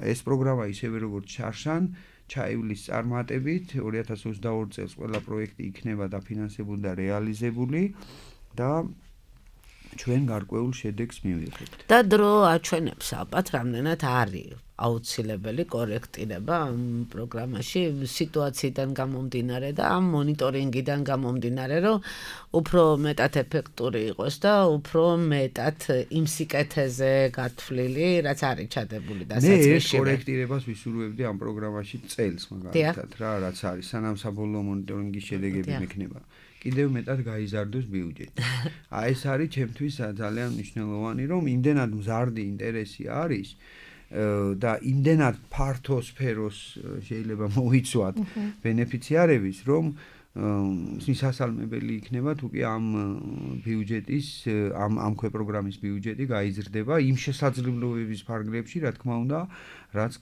[SPEAKER 5] ეს პროგრამა ისევე როგორც ჩარშან, ჩაივლის წარმატებით, ორი ათას ოცდაორი წელს ყველა პროექტი იქნება დაფინანსებული და რეალიზებული და ჩვენ გარკვეულ შედეგს მივიღებთ.
[SPEAKER 3] და დრო აჩვენებს ალბათ რამდენად არის აუცილებელი კორექტირება ამ პროგრამაში სიტუაციიდან გამომდინარე და ამ მონიტორინგიდან გამომდინარე, რომ უფრო მეტად ეფექტური იყოს და უფრო მეტად იმ სიკეთეზე გათვლილი, რაც არის ჩადებული და
[SPEAKER 5] საწეში. მე ეს კორექტირებას ვისურვებდი ამ პროგრამაში წელს მაგალითად რა, რაც არის სანამ საბოლოო მონიტორინგის შედეგები მექნება. კიდევ მეტად გაიზარდოს ბიუჯეტი. აი ეს არის ჩემთვის ძალიან მნიშვნელოვანი, რომ იმდენად მზარდი ინტერესი არის და იმდენად ფართო სფეროს შეიძლება მოიცვათ ბენეფიციარების, რომ მისასალმებელი იქნება თუ კი ამ ბიუჯეტის ამ ამ ქვეპროგრამის ბიუჯეტი გაიზრდება იმ შესაძლებლობების ფარგლებში, რა თქმა უნდა, რაც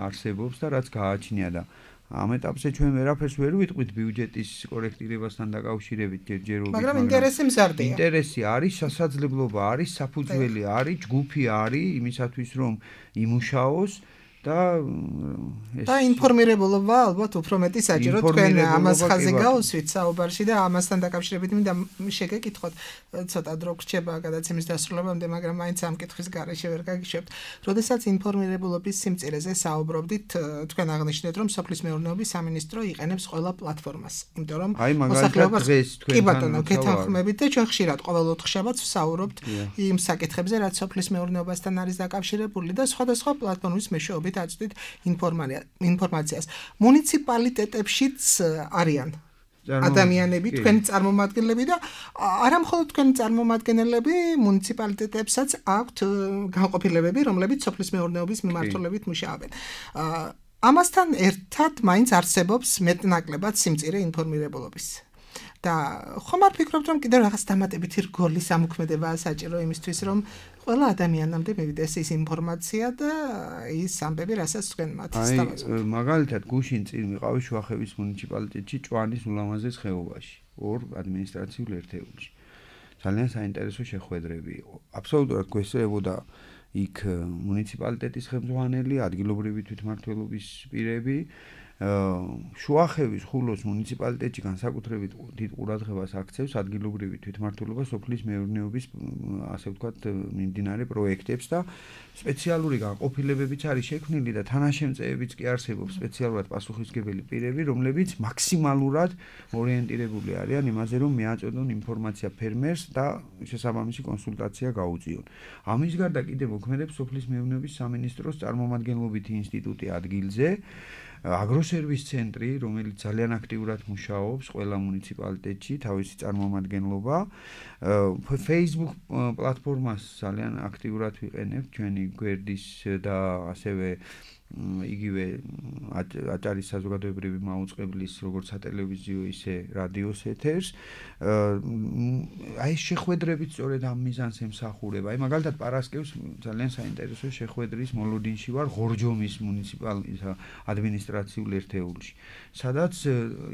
[SPEAKER 5] არსებობს და რაც გააჩნია და ამ ეტაპზე ჩვენ ვერაფერს ვერ ვიტყვით ბიუჯეტის კორექტირებასთან დაკავშირებით ჯერჯერობით,
[SPEAKER 4] მაგრამ ინტერესი მზარდია.
[SPEAKER 5] ინტერესი არის, შესაძლებლობა არის, საფუძველი არის, ჯგუფი არის იმისათვის, რომ იმუშაოს და ეს
[SPEAKER 4] და ინფორმირებულობა ალბათ უფრო მეტი საჭირო თქვენ ამას ხაზი გაუსვით საუბარში და ამასთან დაკავშირებით მინდა შეგეკითხოთ ცოტა დრო გრჩება გადაცემის დასრულებამდე, მაგრამ მაინც ამ კითხვის გარეშე ვერ გაგიშვებთ. როდესაც ინფორმირებულობის სიმწირეზე საუბრობდით, თქვენ აღნიშნეთ, რომ სოფლის მეურნეობის სამინისტრო იყენებს ყველა პლატფორმას, იმიტომ რომ
[SPEAKER 5] მოსახლეობას
[SPEAKER 4] კი ბატონო, გეთანხმებით და ჩვენ ხშირად ყოველ ოთხშაბათს ვსაუბრობთ იმ საკითხებზე, რაც სოფლის მეურნეობასთან არის დაკავშირებული და სხვადასხვა პლატფორმის მეშვეობით აწვდით ინფორმაციას. მუნიციპალიტეტებშიც არიან ადამიანები, თქვენი წარმომადგენლები და არა მხოლოდ თქვენი წარმომადგენლები, მუნიციპალიტეტებსაც აქვთ განყოფილებები, რომლებიც სოფლის მეურნეობის მიმართულებით მუშაობენ. ამასთან ერთად მაინც არსებობს მეტნაკლებად სიმწირე ინფორმირებულობის. და ხომ არ ფიქრობთ, რომ კიდევ რაღაც დამატებითი რგოლის ამოქმედებაა საჭირო იმისთვის, რომ ყველა ადამიანამდე მივიდეს ის ინფორმაცია და ის ამბები, რასაც თქვენ მათ
[SPEAKER 5] სთავაზობთ. აი, მაგალითად, გუშინ წინ ვიყავი შუახევის მუნიციპალიტეტში, ჭვანის ულამაზეს ხეობაში, ორ ადმინისტრაციულ ერთეულში. ძალიან საინტერესო შეხვედრები იყო. აბსოლუტურად გვესწრებოდა იქ მუნიციპალიტეტის ხელმძღვანელი, ადგილობრივი თვითმმართველობის პირები, შუახევის ხულოს მუნიციპალიტეტში განსაკუთრებით დიდ ყურადღებას აქცევს ადგილობრივი თვითმმართველობა სოფლის მეურნეობის ასე ვთქვათ მიმდინარე პროექტებს და სპეციალური განყოფილებებიც არის შექმნილი და თანაშემწეებიც კი არსებობს სპეციალურად პასუხისმგებელი პირები, რომლებიც მაქსიმალურად ორიენტირებული არიან იმაზე, რომ მიაწოდონ ინფორმაცია ფერმერს და შესაბამისი კონსულტაცია გაუწიონ. ამის გარდა კიდევ მოქმედებს სოფლის მეურნეობის სამინისტროს წარმომადგენლობითი ინსტიტუტი ადგილზე, აგროსერვის ცენტრი, რომელიც ძალიან აქტიურად მუშაობს ყველა მუნიციპალიტეტში, თავისი წარმომადგენლობა, Facebook პლატფორმას ძალიან აქტიურად ვიყენებთ ჩვენი გვერდის და ასევე იგივე აჭარის საზოგადოებრივი მაუწყებლის როგორც სატელევიზიო ისე რადიოს ეთერს. აი შეხვედრებით სწორედ ამ მიზანს ემსახურება. აი მაგალითად პარასკევს ძალიან საინტერესო შეხვედრის მოლოდინში ვარ ღორჯომის მუნიციპალიტეტის ადმინისტრაციულ ერთეულში, სადაც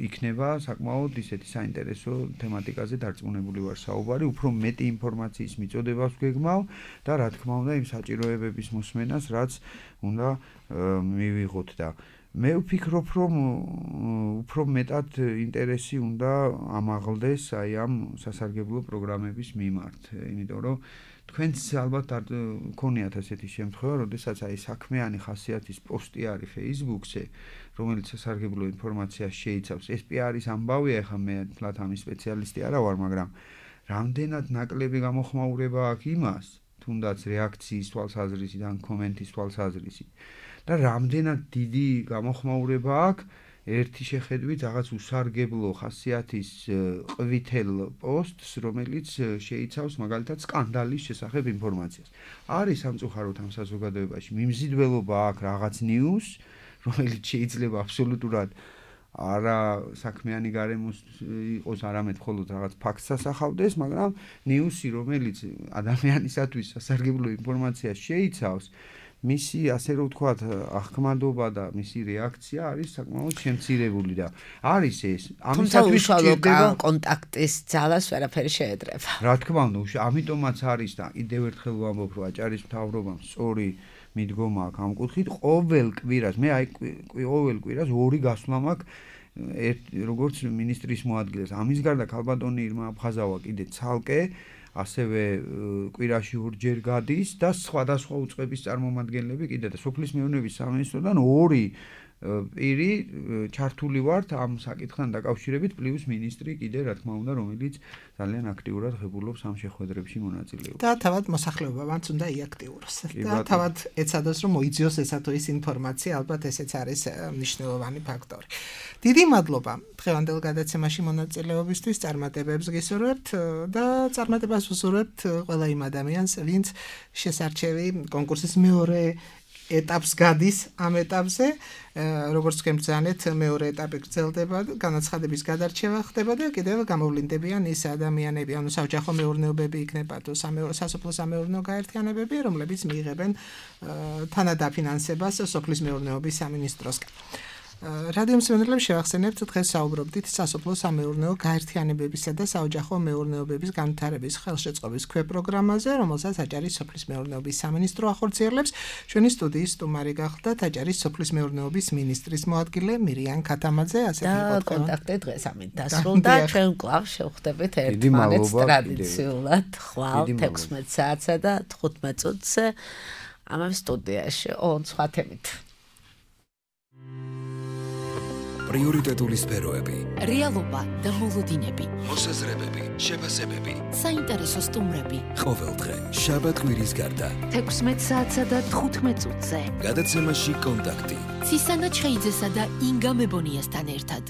[SPEAKER 5] იქნება საკმაოდ ისეთი საინტერესო თემატიკაზე დარწმუნებული ვარ საუბარი, უფრო მეტი ინფორმაციის მიწოდებას ვგეგმავ და რა თქმა უნდა იმ საჭიროებების მოსმენას, რაც უნდა მივიღოთ და მე ვფიქრობ, რომ უფრო მეტად ინტერესი უნდა ამაღლდეს აი ამ სასარგებლო პროგრამების მიმართ, იმიტომ რომ თქვენც ალბათ გქონიათ ასეთი შემთხვევა, როდესაც აი საქმიანი ხასიათის პოსტი არის Facebook-ზე, რომელიც სასარგებლო ინფორმაციას შეიცავს. ეს კი არის ამბავი, ახლა მე თლათ ამის სპეციალისტი არა ვარ, მაგრამ რამდენად ნაკლები გამოხმაურება აქვს იმას, თუნდაც რეაქციის თვალსაზრისიდან, კომენტის თვალსაზრისით და რამდენად დიდი გამოხმაურება აქვს ერთი შეხედვით რაღაც უსარგებლო ხასიათის ყვითელ პოსტს, რომელიც შეიცავს მაგალითად სკანდალის შესახებ ინფორმაციას. არის სამწუხაროდ ამ საზოგადოებაში მიმზიდველობა აქვს რაღაც ნიუს, რომელიც შეიძლება აბსოლუტურად არა საქმიანი გარემოს იყოს, არამედ მხოლოდ რაღაც ფაქტს ასახავდეს, მაგრამ ნიუსი, რომელიც ადამიანისათვის სასარგებლო ინფორმაციას შეიცავს, მისი ასე რომ ვთქვათ აღქმადობა და მისი რეაქცია არის საკმაოდ შემცირებული და არის ეს
[SPEAKER 3] ამისათვის ჭირდება კონტაქტის ძალას ვერაფერი შეედრება.
[SPEAKER 5] რა თქმა უნდა, ამიტომაც არის და კიდევ ერთხელ ვამბობ, რომ აჭარის მთავრობამ სწორი მიდგომა აქვს ამ კუთხით. ყოველ კვირას, მე აი ყოველ კვირას ორი გასვლა მაქვს როგორც მინისტრის მოადგილეს. ამის გარდა ქალბატონი ირმა აფხაზავა კიდე ცალკე ასევე კვირაში ორჯერ გადის და სხვადასხვა უწყების წარმომადგენლები კიდე და სოფლის მეურნეობის სამინისტროდან ორი პირი ჩართული ვართ ამ საკითხთან დაკავშირებით, პლუს მინისტრი კიდე რა თქმა უნდა, რომელიც ძალიან აქტიურად ღებულობს ამ შეხვედრებში მონაწილეობას.
[SPEAKER 4] და თავად მოსახლეობამაც უნდა იაქტიუროს. და თავად ეცადოს, რომ მოიძიოს ესა თუ ის ინფორმაცია, ალბათ ესეც არის მნიშვნელოვანი ფაქტორი. დიდი მადლობა დღევანდელ გადაცემაში მონაწილეობისთვის, წარმატებებს გისურვებთ და წარმატებას ვუსურვებთ ყველა იმ ადამიანს, ვინც შესარჩევი კონკურსის მეორე ეტაპს გადის ამ ეტაპზე, როგორც თქვენ ბრძანეთ, მეორე ეტაპი გრძელდება, განაცხადების გადარჩევა ხდება და კიდევ გამოვლინდებიან ის ადამიანები, ანუ საოჯახო მეურნეობები იქნება თუ სასოფლო სამეურნეო გაერთიანებები, რომლებიც მიიღებენ თანადაფინანსებას სოფლის მეურნეობის სამინისტროსგან. რადიო მსმენელებს შევახსენებთ, დღეს საუბრობდით სასოფლო სამეურნეო გაერთიანებებისა და საოჯახო მეურნეობების განვითარების ხელშეწყობის ქვეპროგრამაზე, რომელსაც აჭარის სოფლის მეურნეობის სამინისტრო ახორციელებს. ჩვენი სტუდიის სტუმარი გახლდათ აჭარის სოფლის მეურნეობის მინისტრის მოადგილე მირიან ქათამაძე,
[SPEAKER 3] ასე იყო კონტაქტი დღეს ამით დასრულდა. ჩვენ კვლავ შევხვდებით ერთმანეთს ტრადიციულად ხვალ თექვსმეტ საათსა და თხუთმეტ წუთზე ამავე სტუდიაში ოღონდ სხვა თემით.
[SPEAKER 1] პრიორიტეტული სფეროები,
[SPEAKER 2] რეალობა და მოლოდინები,
[SPEAKER 1] მოსაზრებები, შეფასებები,
[SPEAKER 2] საინტერესო სტუმრები.
[SPEAKER 1] ყოველდღე შაბათ კვირის გარდა
[SPEAKER 2] თექვსმეტ საათსა და თხუთმეტ წუთზე
[SPEAKER 1] გადაცემაში კონტაქტი
[SPEAKER 2] ცისანა ჩხეიძესა და ინგა მებონიასთან ერთად.